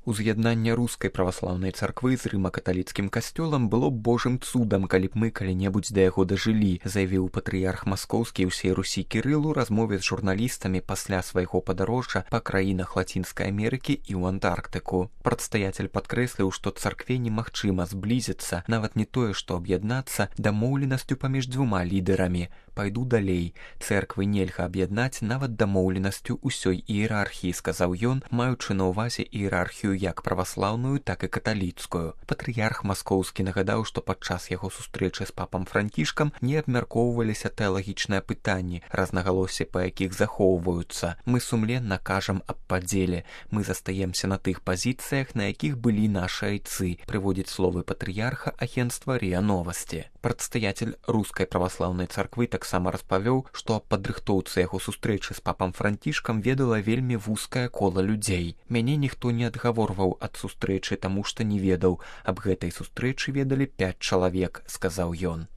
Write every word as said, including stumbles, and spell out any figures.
Уз'яднанне рускай праваслаўнай царквы з рыма-каталіцкім касцёлам было б божым цудам, калі б мы калі-небудзь да яго дажылі, заявіў патрыярх маскоўскі ўсей Русі Кірыл у размове з журналістамі пасля свайго падарожжа па краінах Лацінскай Амерыкі і ў Антарктыку. Прадстаяцель падкрэсліў, што царкве немагчыма зблізіцца, нават не тое, што аб'яднацца дамоўленасцю паміж дзвюма лідарамі. Пайду далей. Цэрквы нельга аб'яднаць нават дамоўленасцю ўсёй іерархіі, сказаў ён, маючы на ўвазе іерархію як праваслаўную, так і каталіцкую. Патрыярх маскоўскі нагадаў, што падчас яго сустрэчы з папам Францішкам не абмяркоўваліся тэалагічныя пытанні, рознагалоссі па якіх захоўваюцца. Мы сумленна кажам аб падзеле. Мы застаемся на тых пазіцыях, на якіх былі нашы айцы, прыводзіць словы патрыярха агенцтва РИА Новости. Прадстаяцель рускай праваслаўнай царквы таксама распавёў, што аб падрыхтоўцы яго сустрэчы з папам Францішкам ведала вельмі вузкае кола людзей. Мяне ніхто не адгаворваў ад сустрэчы, таму што не ведаў. Аб гэтай сустрэчы ведалі пяць чалавек, сказаў ён.